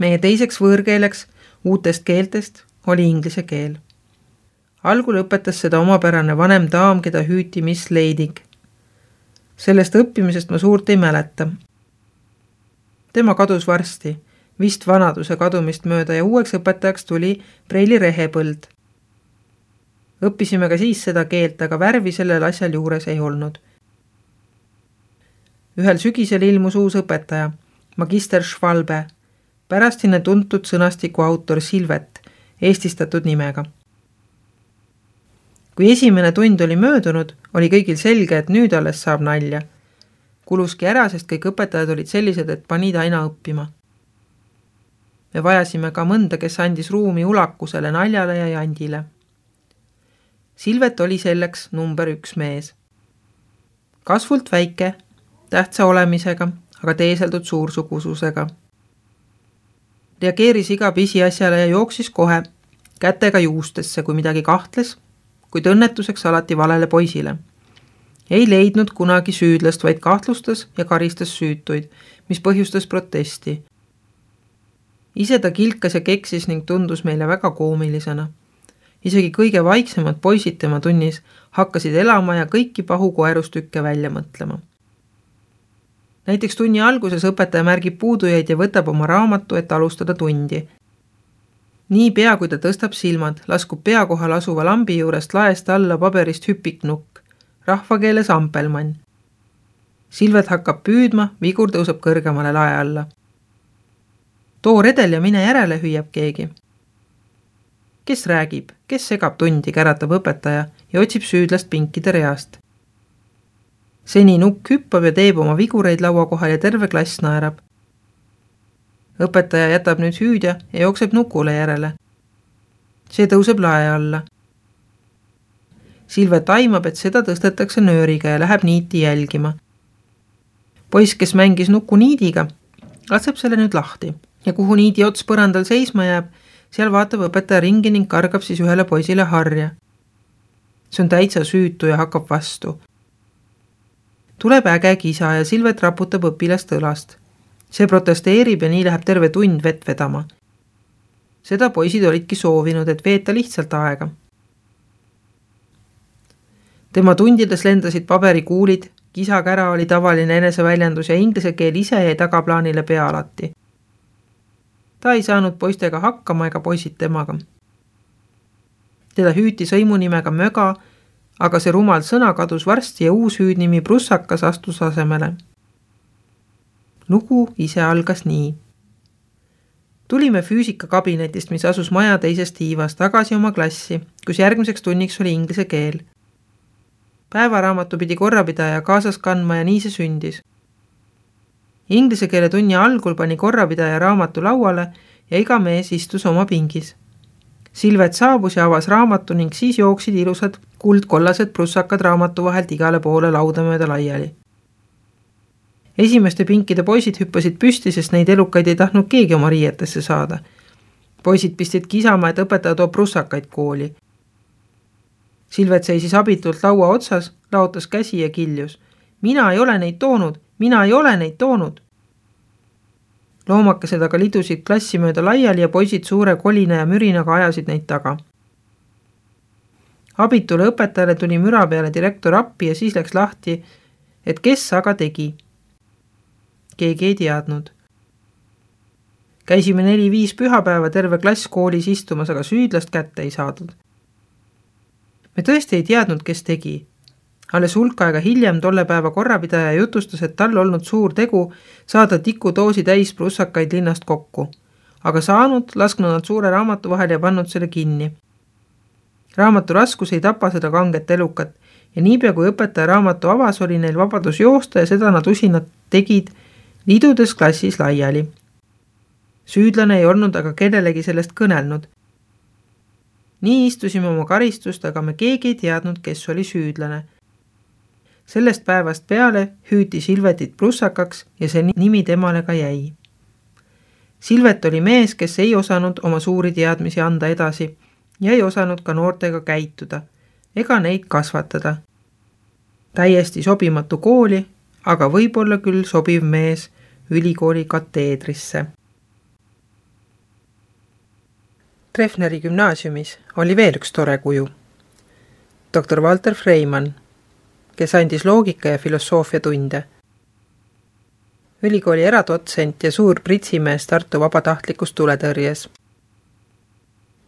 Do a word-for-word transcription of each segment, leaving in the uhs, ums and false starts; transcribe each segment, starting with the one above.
Meie teiseks võõrkeeleks uutest keeltest oli inglise keel. Algul õpetas seda omapärane vanem daam, keda hüüti Miss Leidig. Sellest õppimisest ma suurt ei mäleta. Tema kadus varsti, vist vanaduse kadumist mööda ja uueks õpetajaks tuli Preili Rehepõld. Õppisime ka siis seda keelt, aga värvi sellel asjal juures ei olnud. Ühel sügisel ilmus uus õpetaja, magister Schwalbe, pärastine tuntud sõnastiku autor Silvet, eestistatud nimega. Kui esimene tund oli möödunud, oli kõigil selge, et nüüd alles saab nalja. Kuluski ära, sest kõik õpetajad olid sellised, et panid aina õppima. Me vajasime ka mõnda, kes andis ruumi ulakusele, naljale ja jandile. Silvet oli selleks number üks mees. Kasvult väike, tähtsa olemisega, aga teeseldud suursugususega. Reageeris iga pisiasjale ja jooksis kohe kätega juustesse, kui midagi kahtles, kuid õnnetuseks alati valele poisile. Ei leidnud kunagi süüdlast, vaid kahtlustas ja karistas süütuid, mis põhjustas protesti. Ise ta kilkas ja keksis ning tundus meile väga koomilisena. Isegi kõige vaiksemad poisid tema tunnis hakkasid elama ja kõiki pahukoerustükke välja mõtlema. Näiteks tunni alguses õpetaja märgib puudujaid ja võtab oma raamatu, et alustada tundi. Nii pea, kui ta tõstab silmad, laskub pea kohal asuva lambi juurest laest alla paberist hüpiknukk, rahvakeeles ampelmann. Silvet hakkab püüdma, vigur tõuseb kõrgemale lae alla. Too redel ja mine järele, hüüab keegi. Kes räägib, kes segab tundi, käratab õpetaja ja otsib süüdlast pinkide reast. Seni nukk hüppab ja teeb oma vigureid laua kohal ja terve klass naerab. Õpetaja jätab nüüd hüüdja ja jookseb nukule järele. See tõuseb lae alla. Silvet aimab, et seda tõstetakse nööriga ja läheb niiti jälgima. Poiss, kes mängis nuku niidiga, laseb selle nüüd lahti ja kuhu niidi ots põrandal seisma jääb, seal vaatab õpetaja ringi ning kargab siis ühele poisile harja. See on täitsa süütu ja hakkab vastu. Tuleb äge kisa ja Silvet raputab õpilast õlast. See protesteerib ja nii läheb terve tund vett vedama. Seda poisid olidki soovinud, et veeta lihtsalt aega. Tema tundides lendasid paberikuulid, kisakära oli tavaline eneseväljendus ja inglise keel ise jäi tagaplaanile pea alati. Ta ei saanud poistega hakkama ega poisid temaga. Teda hüüti sõimunimega Möga, aga see rumal sõna kadus varsti ja uus hüüdnimi Prussakas astus asemele. Lugu ise algas nii. Tulime füüsikakabinetist, mis asus maja teisest tiivas, tagasi oma klassi, kus järgmiseks tunniks oli inglise keel. Päevaraamatu pidi korrapidaja kaasas kandma ja nii see sündis. Inglise keele tunni algul pani korrapidaja raamatu lauale ja iga mees istus oma pingis. Silvet saabus ja avas raamatu ning siis jooksid ilusad kuldkollased prussakad raamatu vahelt igale poole lauda mööda laiali. Esimeste pinkide poisid hüppasid püsti, sest neid elukaid ei tahtnud keegi oma riietesse saada. Poisid pistid kisama, et õpetaja toob prussakaid kooli. Silvet seisis abitult laua otsas, laotas käsi ja kiljus. Mina ei ole neid toonud, mina ei ole neid toonud. Loomakesed aga lidusid klassi mööda laiali ja poisid suure kolina ja mürinaga ajasid neid taga. Abitule õpetajale tuli müra peale direktor appi ja siis läks lahti, et kes aga tegi. Keegi ei teadnud. Käisime neli-viis pühapäeva terve klass koolis istumas, aga süüdlast kätte ei saadud. Me tõesti ei teadnud, kes tegi. Alles hulk aega hiljem tolle päeva korrapidaja jutustas, et tal olnud suur tegu saada tikudoosi täis prussakaid linnast kokku, aga saanud, lasknud nad suure raamatu vahel ja pannud selle kinni. Raamatu raskus ei tapa seda kanget elukat ja niipea kui õpetaja raamatu avas, oli neil vabadus joosta ja seda nad usinad tegid lidudes klassis laiali. Süüdlane ei olnud aga kellelegi sellest kõnelnud. Nii istusime oma karistust, aga me keegi ei teadnud, kes oli süüdlane. Sellest päevast peale hüüti Silvetit prussakaks ja see nimi temale ka jäi. Silvet oli mees, kes ei osanud oma suuri teadmisi anda edasi ja ei osanud ka noortega käituda ega neid kasvatada. Täiesti sobimatu kooli, aga võib-olla küll sobiv mees ülikooli kateedrisse. Treffneri gümnaasiumis oli veel üks tore kuju. doktor Walter Freimann, kes andis loogika ja filosoofia tunde. Ülikooli eradotsent ja suur pritsimees Tartu vabatahtlikus tuletõrjes.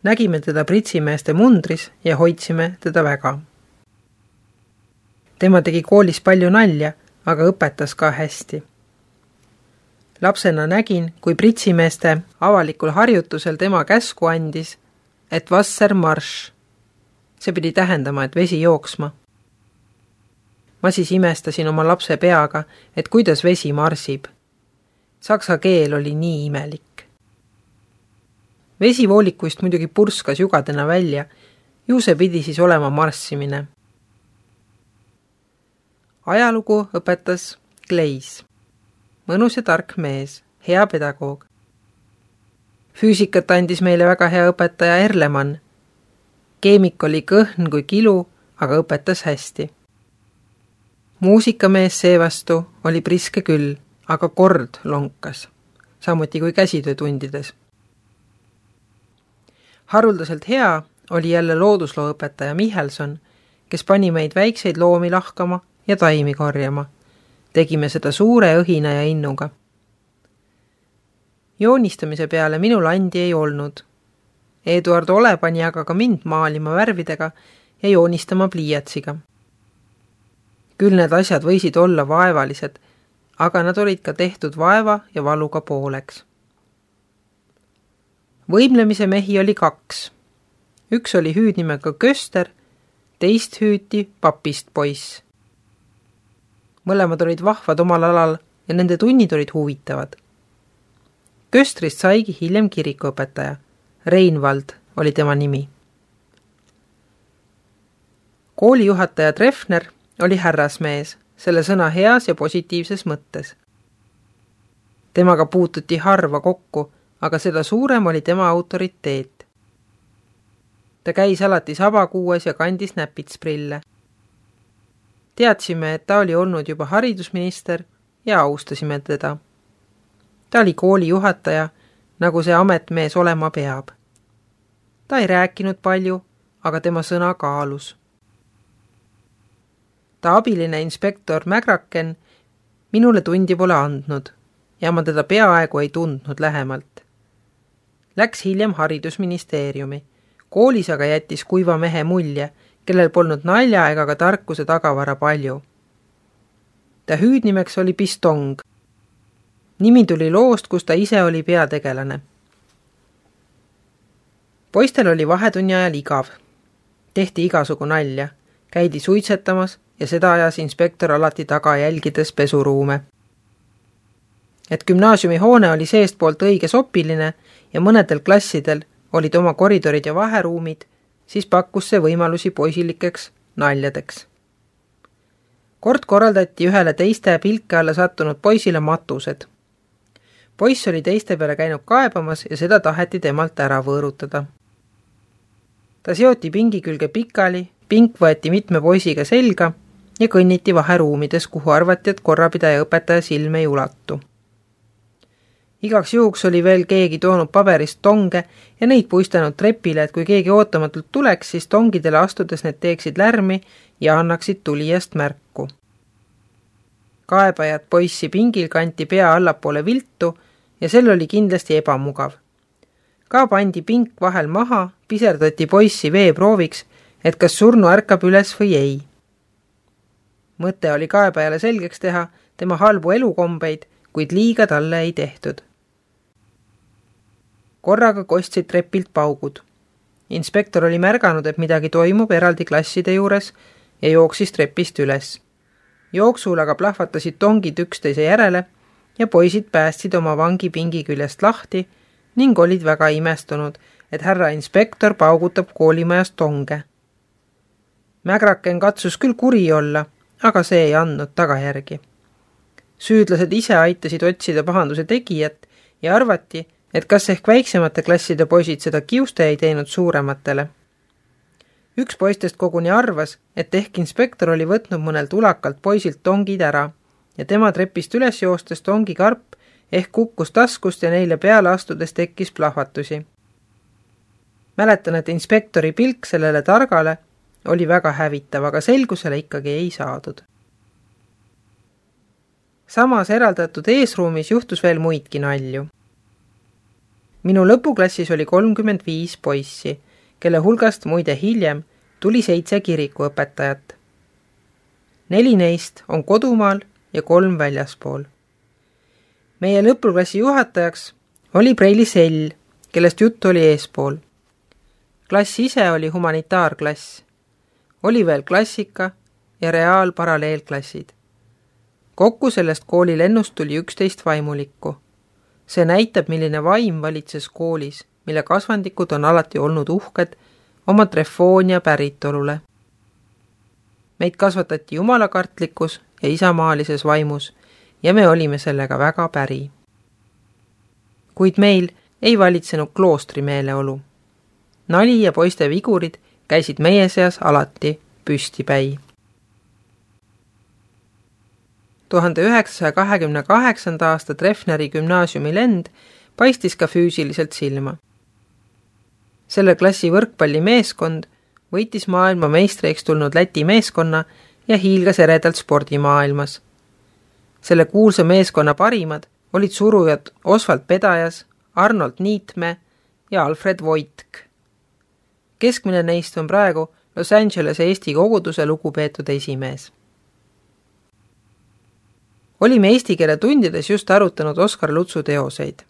Nägime teda pritsimeeste mundris ja hoidsime teda väga. Tema tegi koolis palju nalja, aga õpetas ka hästi. Lapsena nägin, kui pritsimeeste avalikul harjutusel tema käsku andis, et Wasser marsch. See pidi tähendama, et vesi jooksma. Ma siis imestasin oma lapse peaga, et kuidas vesi marsib. Saksa keel oli nii imelik. Vesi voolikuist muidugi purskas jugadena välja, ju see pidi siis olema marssimine. Ajalugu õpetas Kleis. Mõnus ja tark mees, hea pedagoog. Füüsikat andis meile väga hea õpetaja Erlemann. Keemik oli kõhn kui kilu, aga õpetas hästi. Muusikamees seevastu oli priske küll, aga kord lonkas, samuti kui käsitöötundides. Haruldaselt hea oli jälle loodusloo õpetaja Michelson, kes pani meid väikseid loomi lahkama ja taimi korjama. Tegime seda suure õhina ja innuga. Joonistamise peale minul andi ei olnud. Eduard Ole pani aga ka mind maalima värvidega ja joonistama pliiatsiga. Küll need asjad võisid olla vaevalised, aga nad olid ka tehtud vaeva ja valuga pooleks. Võimlemise mehi oli kaks. Üks oli hüüdnimega Köster, teist hüüti papist poiss. Mõlemad olid vahvad omal alal ja nende tunnid olid huvitavad. Köstrist saigi hiljem kirikuõpetaja. Reinvald oli tema nimi. Koolijuhataja Treffner oli härrasmees, selle sõna heas ja positiivses mõttes. Temaga puututi harva kokku, aga seda suurem oli tema autoriteet. Ta käis alati sabakuues ja kandis näpitsprille. Teadsime, et ta oli olnud juba haridusminister ja austasime teda. Ta oli kooli juhataja, nagu see ametmees olema peab. Ta ei rääkinud palju, aga tema sõna kaalus. Ta abiline inspektor Mägraken minule tundi pole andnud ja ma teda peaaegu ei tundnud lähemalt. Läks hiljem haridusministeeriumi. Koolis aga jättis kuiva mehe mulje, kellel polnud nalja ega ka tarkuse tagavara palju. Ta hüüdnimeks oli Pistong. Nimi tuli loost, kus ta ise oli peategelane. Poistel oli vahetunni ajal igav. Tehti igasugu nalja, käidi suitsetamas ja seda ajas inspektor alati taga jälgides pesuruume. Et gümnaasiumi hoone oli seestpoolt õige sopiline ja mõnedel klassidel olid oma koridorid ja vaheruumid, siis pakkus see võimalusi poisilikeks naljadeks. Kord korraldati ühele teiste pilke alla sattunud poisile matused. Poiss oli teiste peale käinud kaebamas ja seda taheti temalt ära võõrutada. Ta seoti pingi külge pikali, pink võeti mitme poisiga selga ja kõnniti vaheruumides, kuhu arvati, et korrapidaja õpetaja silme ei ulatu. Igaks juhuks oli veel keegi toonud paberist tonge ja neid puistanud trepile, et kui keegi ootamatult tuleks, siis tongidele astudes need teeksid lärmi ja annaksid tulijast märku. Kaebajad poissi pingil kanti pea allapoole viltu ja sel oli kindlasti ebamugav. Ka pandi pink vahel maha, piserdati poissi veeprooviks, et kas surnu ärkab üles või ei. Mõte oli kaebajale selgeks teha tema halbu elukombeid, kuid liiga talle ei tehtud. Korraga kostsid trepilt paugud. Inspektor oli märganud, et midagi toimub eraldi klasside juures ja jooksis trepist üles. Jooksul aga plahvatasid tongid üksteise järele ja poisid päästsid oma vangi pingi küljest lahti ning olid väga imestunud, et härra inspektor paugutab koolimajas tonge. Mägraken katsus küll kuri olla, aga see ei andnud tagajärgi. Süüdlased ise aitasid otsida pahanduse tegijat ja arvati, et kas ehk väiksemate klasside poisid seda kiuste ei teinud suurematele. Üks poistest koguni arvas, et ehk inspektor oli võtnud mõnelt ulakalt poisilt tongid ära ja tema trepist üles joostes tongi karp ehk kukkus taskust ja neile peale astudes tekkis plahvatusi. Mäletan, et inspektori pilk sellele targale oli väga hävitav, aga selgusele ikkagi ei saadud. Samas eraldatud eesruumis juhtus veel muidki nalju. Minu lõpuklassis oli kolmkümmend viis poissi, kelle hulgast muide hiljem tuli seitse kirikuõpetajat. Neli neist on kodumaal ja kolm väljaspool. Meie lõpuklassi juhatajaks oli Preili Sell, kellest juttu oli eespool. Klass ise oli humanitaarklass. Oli veel klassika ja reaalparalleelklassid. Kokku sellest kooli lennust tuli üksteist vaimulikku. See näitab, milline vaim valitses koolis, mille kasvandikud on alati olnud uhked oma trefoonia päritolule. Meid kasvatati jumalakartlikus ja isamaalises vaimus ja me olime sellega väga päri. Kuid meil ei valitsenud kloostri meeleolu. Nali ja poiste vigurid käisid meie seas alati püstipäi. tuhande üheksasaja kahekümne kaheksanda aasta Treffneri gümnaasiumi lend paistis ka füüsiliselt silma. Selle klassi võrkpallimeeskond võitis maailma meistriks tulnud Läti meeskonna ja hiilgas eredalt spordimaailmas. Selle kuulsa meeskonna parimad olid surujad Oswald Pedajas, Arnold Niitme ja Alfred Voitk. Keskmine neist on praegu Los Angelese Eesti koguduse lugupeetud esimees. Olime eesti keele tundides just arutanud Oskar Lutsu teoseid.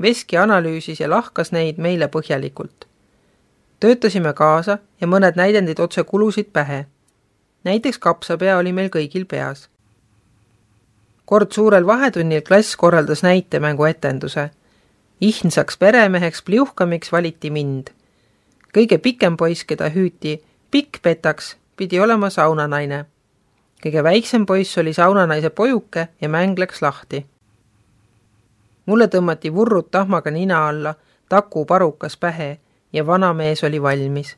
Veski analüüsis ja lahkas neid meile põhjalikult. Töötasime kaasa ja mõned näidendid otse kulusid pähe. Näiteks kapsapea oli meil kõigil peas. Kord suurel vahetunnil klass korraldas näitemängu etenduse. Ihnsaks peremeheks pliuhkamiks valiti mind. Kõige pikem poiss, keda hüüti pikk petaks, pidi olema saunanaine. Kõige väiksem poiss oli saunanaise pojuke ja mäng läks lahti. Mulle tõmmati vurrud tahmaga nina alla, taku parukas pähe ja vana mees oli valmis.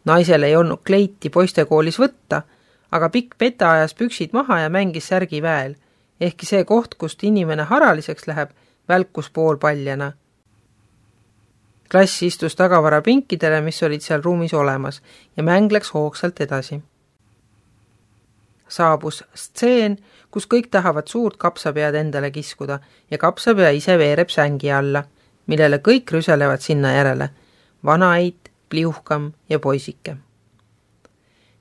Naisel ei olnud kleiti poistekoolis võtta, aga pikk peta ajas püksid maha ja mängis särgi väel, ehkki see koht, kust inimene haraliseks läheb, välkus poolpaljana. Klass istus tagavara pinkidele, mis olid seal ruumis olemas, ja mäng läks hoogsalt edasi. Saabus stseen, kus kõik tahavad suurt kapsapead endale kiskuda ja kapsapea ise veereb sängi alla, millele kõik rüselevad sinna järele. Vanaeit, pliuhkam ja poisike.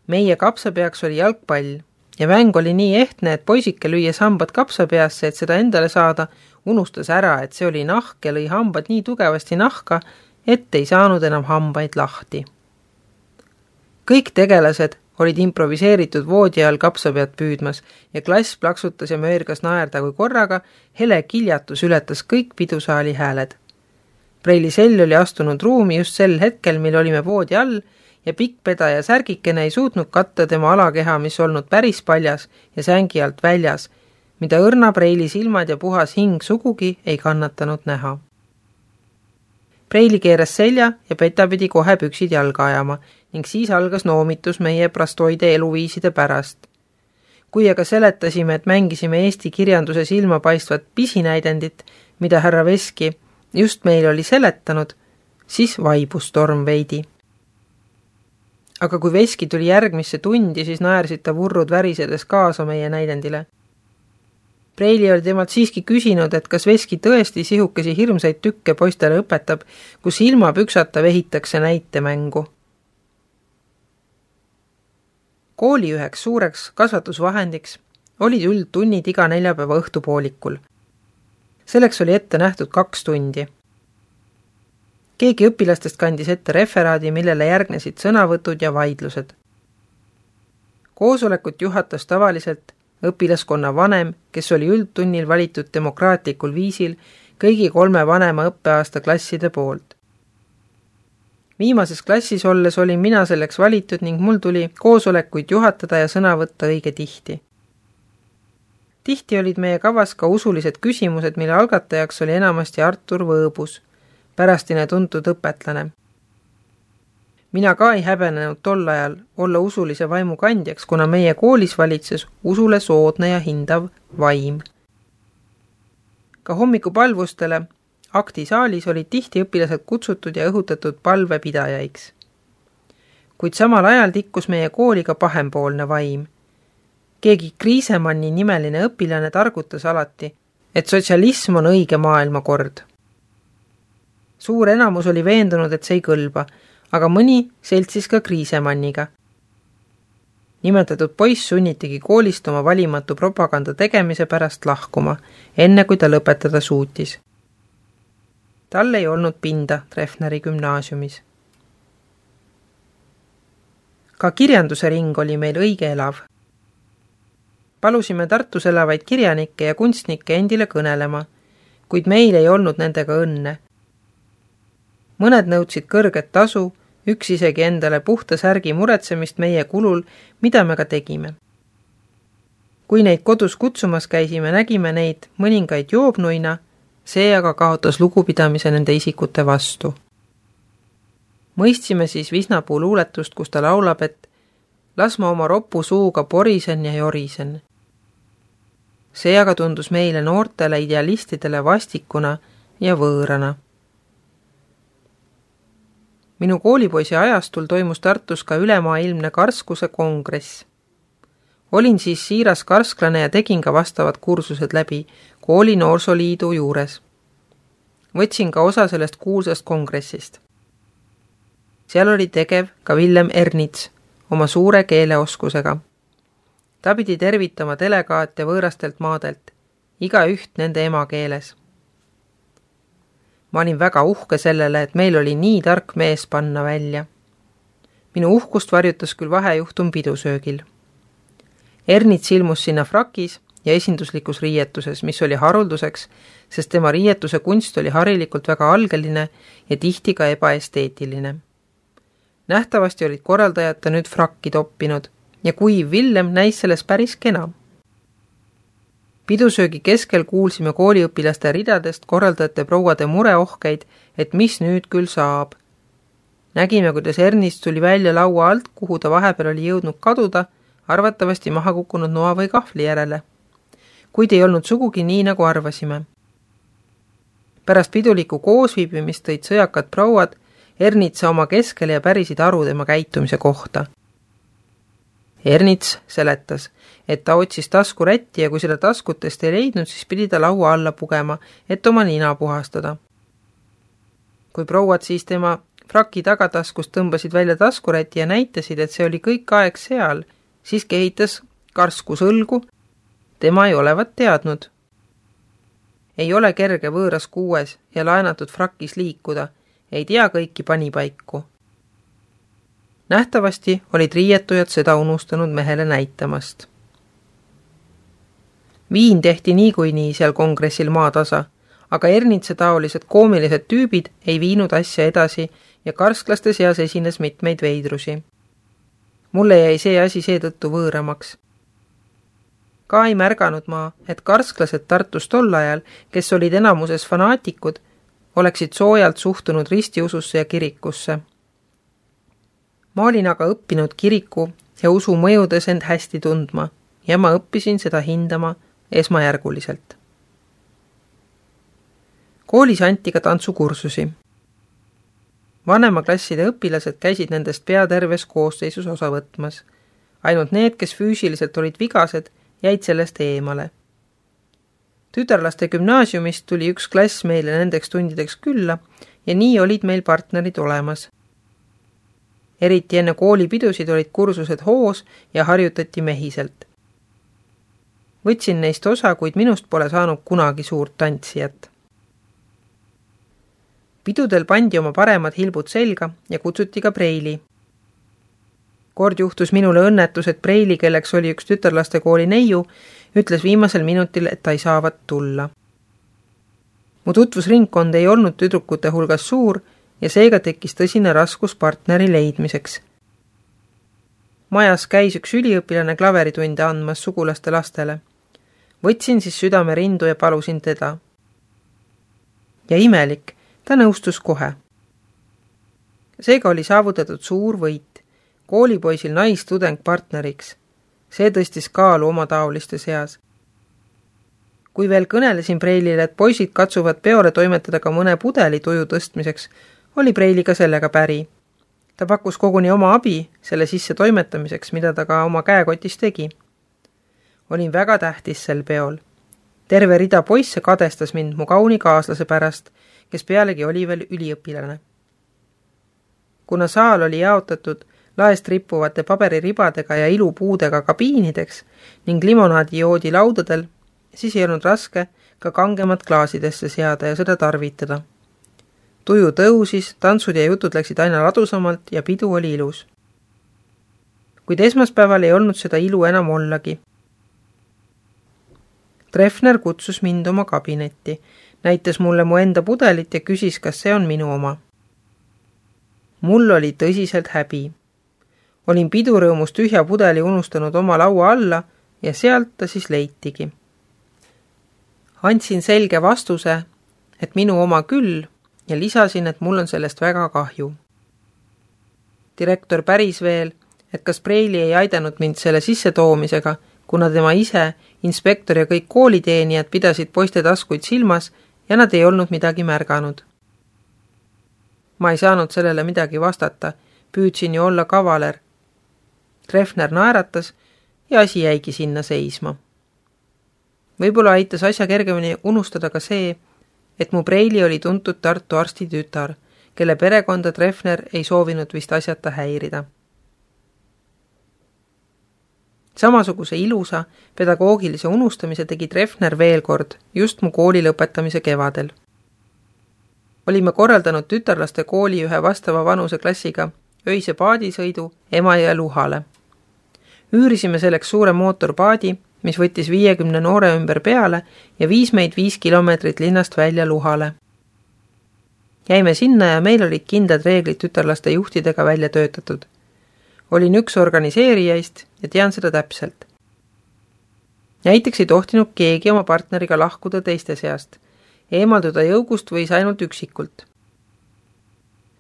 Meie kapsapeaks oli jalgpall ja mäng oli nii ehtne, et poisike lüües hambad kapsapeasse, et seda endale saada, unustas ära, et see oli nahk ja lõi hambad nii tugevasti nahka, et ei saanud enam hambaid lahti. Kõik tegelased olid improviseeritud voodi all kapsapead püüdmas ja klass plaksutas ja möörgas naerda, kui korraga hele kiljatus ületas kõik pidusaali hääled. Preili Sell oli astunud ruumi just sel hetkel, mil olime voodi all ja pikkpeda ja särgikene ei suutnud katta tema alakeha, mis olnud päris paljas ja sängi alt väljas, mida õrna Preili silmad ja puhas hing sugugi ei kannatanud näha. Preili keeras selja ja peta pidi kohe püksid jalga ajama ning siis algas noomitus meie prastoide eluviiside pärast. Kui aga seletasime, et mängisime eesti kirjanduse silmapaistvat pisinäidendit, mida härra Veski just meil oli seletanud, siis vaibus torm veidi. Aga kui Veski tuli järgmisse tundi, siis naersid ta vurrud värisedes kaasa meie näidendile. Preili oli temalt siiski küsinud, et kas Veski tõesti sihukesi hirmsaid tükke poistele õpetab, kus ilma püksata vehitakse näitemängu. Kooli üheks suureks kasvatusvahendiks olid üldtunnid iga neljapäeva õhtupoolikul. Selleks oli ette nähtud kaks tundi. Keegi õpilastest kandis ette referaadi, millele järgnesid sõnavõtud ja vaidlused. Koosolekut juhatas tavaliselt õpilaskonna vanem, kes oli üldtunnil valitud demokraatlikul viisil kõigi kolme vanema õppeaasta klasside poolt. Viimases klassis olles olin mina selleks valitud ning mul tuli koosolekuid juhatada ja sõna võtta õige tihti. Tihti olid meie kavas ka usulised küsimused, mille algatajaks oli enamasti Artur Võõbus, pärastine tuntud õpetlane. Mina ka ei häbenenud tol ajal olla usulise vaimu kandjaks, kuna meie koolis valitses usule soodne ja hindav vaim. Ka hommikupalvustele Aktisaalis olid tihti õpilased kutsutud ja õhutatud palvepidajaiks. Kuid samal ajal tikkus meie kooliga pahempoolne vaim. Keegi Kriisemanni nimeline õpilane targutas alati, et sotsialism on õige maailmakord. Suur enamus oli veendunud, et see ei kõlba, aga mõni seltsis ka Kriisemanniga. Nimetatud poiss sunnitigi koolist oma valimatu propaganda tegemise pärast lahkuma, enne kui ta lõpetada suutis. Tal ei olnud pinda Treffneri gümnaasiumis. Ka kirjanduse ring oli meil õige elav. Palusime Tartus elavaid kirjanikke ja kunstnikke endile kõnelema, kuid meil ei olnud nendega õnne. Mõned nõudsid kõrget tasu, üks isegi endale puhta särgi muretsemist meie kulul, mida me ka tegime. Kui neid kodus kutsumas käisime, nägime neid mõningaid joobnuina, see aga kaotas lugupidamise nende isikute vastu. Mõistsime siis Visnapuu luuletust, kus ta laulab, et las ma oma ropu suuga porisen ja jorisen. See aga tundus meile noortele idealistidele vastikuna ja võõrana. Minu koolipoisi ajastul toimus Tartus ka ülemaailmne karskuse kongress. Olin siis siiras karsklane ja tegin ka vastavad kursused läbi kooli noorsoliidu juures. Võtsin ka osa sellest kuulsast kongressist. Seal oli tegev ka Villem Ernits oma suure keeleoskusega. Ta pidi tervitama delegaate võõrastelt maadelt, iga üht nende emakeeles. Ma olin väga uhke sellele, et meil oli nii tark mees panna välja. Minu uhkust varjutas küll vahejuhtum pidusöögil. Ernits ilmus sinna frakis ja esinduslikus riietuses, mis oli harulduseks, sest tema riietuse kunst oli harilikult väga algeline ja tihti ka ebaesteetiline. Nähtavasti olid korraldajad ta nüüd frakki toppinud ja kuiv Villem näis selles päris kena. Pidusöögi keskel kuulsime kooliõpilaste ridadest korraldajate prouade mureohkeid, et mis nüüd küll saab. Nägime, kuidas Ernist tuli välja laua alt, kuhu ta vahepeal oli jõudnud kaduda, arvatavasti maha kukkunud noa või kahvli järele. Kuid ei olnud sugugi nii, nagu arvasime. Pärast piduliku koosviibimist tõid sõjakad prouad Ernitsa oma keskele ja pärisid aru tema käitumise kohta. Ernits seletas, et ta otsis taskurätti ja kui seda taskutest ei leidnud, siis pidi ta laua alla pugema, et oma nina puhastada. Kui prouad siis tema fraki tagataskust tõmbasid välja taskurätti ja näitasid, et see oli kõik aeg seal, siis kehitas karskus õlgu, tema ei olevat teadnud. Ei ole kerge võõras kuues ja laenatud frakis liikuda, ei tea kõiki panipaiku. Nähtavasti olid riietujad seda unustanud mehele näitamast. Viin tehti niikuinii seal kongressil maatasa, aga Ernitsa taolised koomilised tüübid ei viinud asja edasi ja karsklaste seas esines mitmeid veidrusi. Mulle jäi see asi seetõttu võõramaks. Ka ei märganud ma, et karsklased Tartus tol ajal, kes olid enamuses fanaatikud, oleksid soojalt suhtunud ristiususse ja kirikusse. Ma olin aga õppinud kiriku ja usu mõjudes end hästi tundma ja ma õppisin seda hindama esmajärguliselt. Koolis anti ka tantsukursusi. Vanemaklasside õpilased käisid nendest pea terves koosseisus osa võtmas. Ainult need, kes füüsiliselt olid vigased, jäid sellest eemale. Tütarlaste gümnaasiumist tuli üks klass meile nendeks tundideks külla ja nii olid meil partnerid olemas. Eriti enne koolipidusid olid kursused hoos ja harjutati mehiselt. Võtsin neist osa, kuid minust pole saanud kunagi suurt tantsijat. Pidudel pandi oma paremad hilbud selga ja kutsuti ka preili. Kord juhtus minule õnnetus, et preili, kelleks oli üks tütarlaste kooli neiu, ütles viimasel minutil, et ta ei saavat tulla. Mu tutvusringkond ei olnud tüdrukute hulgas suur ja seega tekkis tõsine raskus partneri leidmiseks. Majas käis üks üliõpilane klaveritunde andmas sugulaste lastele. Võtsin siis südame rindu ja palusin teda. Ja imelik, ta nõustus kohe. Seega oli saavutatud suur võit. Koolipoisil naistudeng partneriks. See tõstis kaalu oma taoliste seas. Kui veel kõnelesin Preilile, et poisid katsuvad peole toimetada ka mõne pudeli tuju tõstmiseks, oli Preili ka sellega päri. Ta pakkus koguni oma abi selle sisse toimetamiseks, mida ta ka oma käekotis tegi. Olin väga tähtis sel peol. Terve rida poisse kadestas mind mu kauni kaaslase pärast, kes pealegi oli veel üliõpilane. Kuna saal oli jaotatud laest rippuvate paberiribadega ja ilupuudega kabiinideks ning limonaadi joodi laudadel, siis ei olnud raske ka kangemat klaasidesse seada ja seda tarvitada. Tuju tõusis, tantsud ja jutud läksid aina ladusamalt ja pidu oli ilus. Kuid esmaspäeval ei olnud seda ilu enam ollagi. Treffner kutsus mind oma kabinetti, näitas mulle mu enda pudelit ja küsis, kas see on minu oma. Mul oli tõsiselt häbi. Olin pidurõõmus tühja pudeli unustanud oma laua alla ja sealt ta siis leitigi. Andsin selge vastuse, et minu oma küll, ja lisasin, et mul on sellest väga kahju. Direktor päris veel, et kas Preili ei aidanud mind selle sisse toomisega, kuna tema ise, inspektor ja kõik kooliteenijad pidasid poiste taskuid silmas ja nad ei olnud midagi märganud. Ma ei saanud sellele midagi vastata, püüdsin ju olla kavaler. Treffner naeratas ja asi jäigi sinna seisma. Võib-olla aitas asja kergemini unustada ka see, et mu Preili oli tuntud Tartu arsti tütar, kelle perekonda Treffner ei soovinud vist asjata häirida. Samasuguse ilusa pedagoogilise unustamise tegi Treffner veel kord, just mu kooli lõpetamise kevadel. Olime korraldanud tütarlaste kooli ühe vastava vanuse klassiga öise paadisõidu Emajõe luhale. Üürisime selleks suure mootorpaadi, mis võttis viiekümne noore ümber peale ja viis meid viis kilomeetrit linnast välja luhale. Jäime sinna ja meil olid kindlad reeglid tütarlaste juhtidega välja töötatud. Olin üks organiseerijaist ja tean seda täpselt. Näiteks ei tohtinud keegi oma partneriga lahkuda teiste seast. Eemalduda jõugust võis ainult üksikult.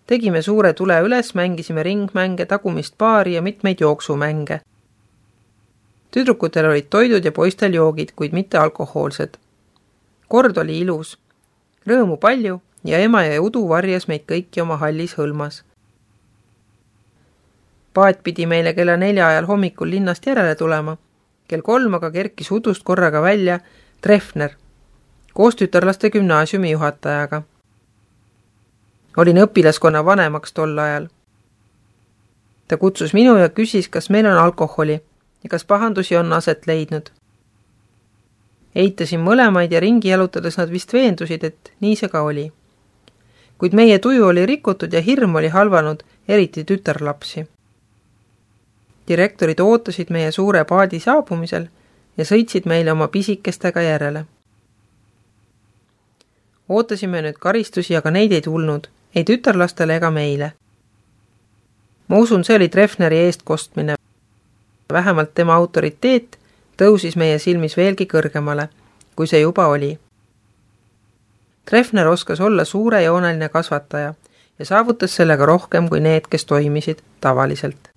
Tegime suure tule üles, mängisime ringmänge, tagumist paari ja mitmeid jooksumänge. Tüdrukutel olid toidud ja poistel joogid, kuid mitte alkohoolsed. Kord oli ilus. Rõõmu palju ja ema ja udu varjas meid kõiki oma hallis hõlmas. Paat pidi meile kella nelja ajal hommikul linnast järele tulema. Kell kolm aga kerkis udust korraga välja Treffner, koos tütarlaste gümnaasiumi juhatajaga. Olin õpilaskonna vanemaks tol ajal. Ta kutsus minu ja küsis, kas meil on alkoholi ja kas pahandusi on aset leidnud. Eitasin mõlemaid ja ringi jalutades nad vist veendusid, et nii see ka oli. Kuid meie tuju oli rikutud ja hirm oli halvanud, eriti tütarlapsi. Direktorid ootasid meie suure paadi saabumisel ja sõitsid meile oma pisikestega järele. Ootasime nüüd karistusi, aga neid ei tulnud, ei tütarlastele ega meile. Ma usun, see oli Treffneri eest kostmine. Vähemalt tema autoriteet tõusis meie silmis veelgi kõrgemale, kui see juba oli. Treffner oskas olla suurejooneline kasvataja ja saavutas sellega rohkem kui need, kes toimisid tavaliselt.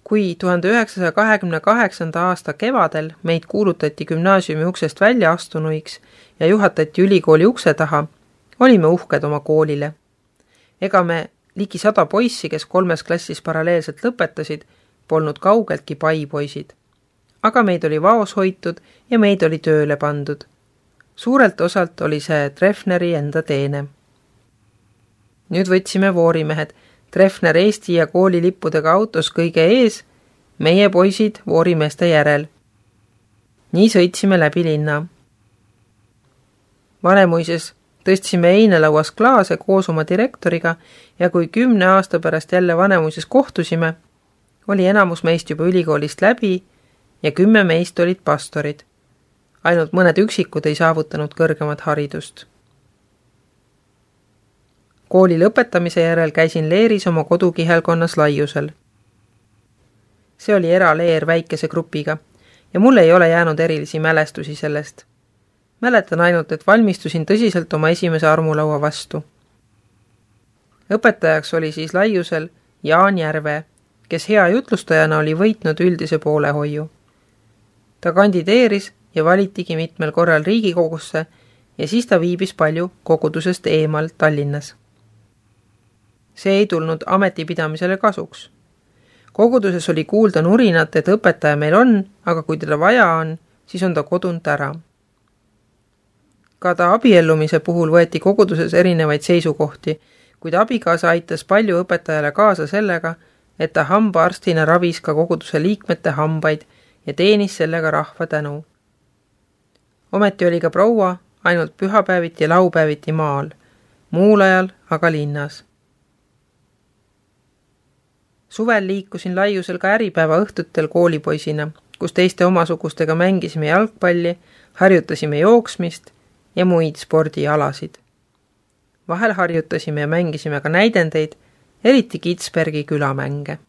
Kui tuhande üheksasaja kahekümne kaheksanda aasta kevadel meid kuulutati gümnaasiumi uksest välja astunuiks ja juhatati ülikooli ukse taha, olime uhked oma koolile. Ega me ligi sada poissi, kes kolmes klassis paralleelselt lõpetasid, polnud kaugeltki paipoisid. Aga meid oli vaos hoitud ja meid oli tööle pandud. Suurelt osalt oli see Treffneri enda teene. Nüüd võtsime voorimehed, Treffner Eesti ja kooli lippudega autos kõige ees, meie poisid voorimeeste järel. Nii sõitsime läbi linna. Vanemuises tõstsime einelauas klaase koos oma direktoriga ja kui kümne aasta pärast jälle Vanemuises kohtusime, oli enamus meist juba ülikoolist läbi ja kümme meist olid pastorid. Ainult mõned üksikud ei saavutanud kõrgemat haridust. Kooli lõpetamise järel käisin leeris oma kodukihelkonnas Laiusel. See oli eraleer väikese grupiga ja mul ei ole jäänud erilisi mälestusi sellest. Mäletan ainult, et valmistusin tõsiselt oma esimese armulaua vastu. Õpetajaks oli siis Laiusel Jaan Järve, kes hea jutlustajana oli võitnud üldise poolehoiu. Ta kandideeris ja valitigi mitmel korral Riigikogusse ja siis ta viibis palju kogudusest eemal Tallinnas. See ei tulnud ametipidamisele kasuks. Koguduses oli kuulda nurinat, et õpetaja meil on, aga kui teda vaja on, siis on ta kodunt ära. Ka ta abiellumise puhul võeti koguduses erinevaid seisukohti, kuid abikaasa aitas palju õpetajale kaasa sellega, et ta hambaarstina ravis ka koguduse liikmete hambaid ja teenis sellega rahva tänu. Ometi oli ka proua ainult pühapäeviti ja laupäeviti maal, muul ajal aga linnas. Suvel liikusin laiusel ka äripäeva õhtutel koolipoisina, kus teiste omasugustega mängisime jalgpalli, harjutasime jooksmist ja muid spordialasid. Vahel harjutasime ja mängisime ka näidendeid, eriti Kitzbergi külamänge.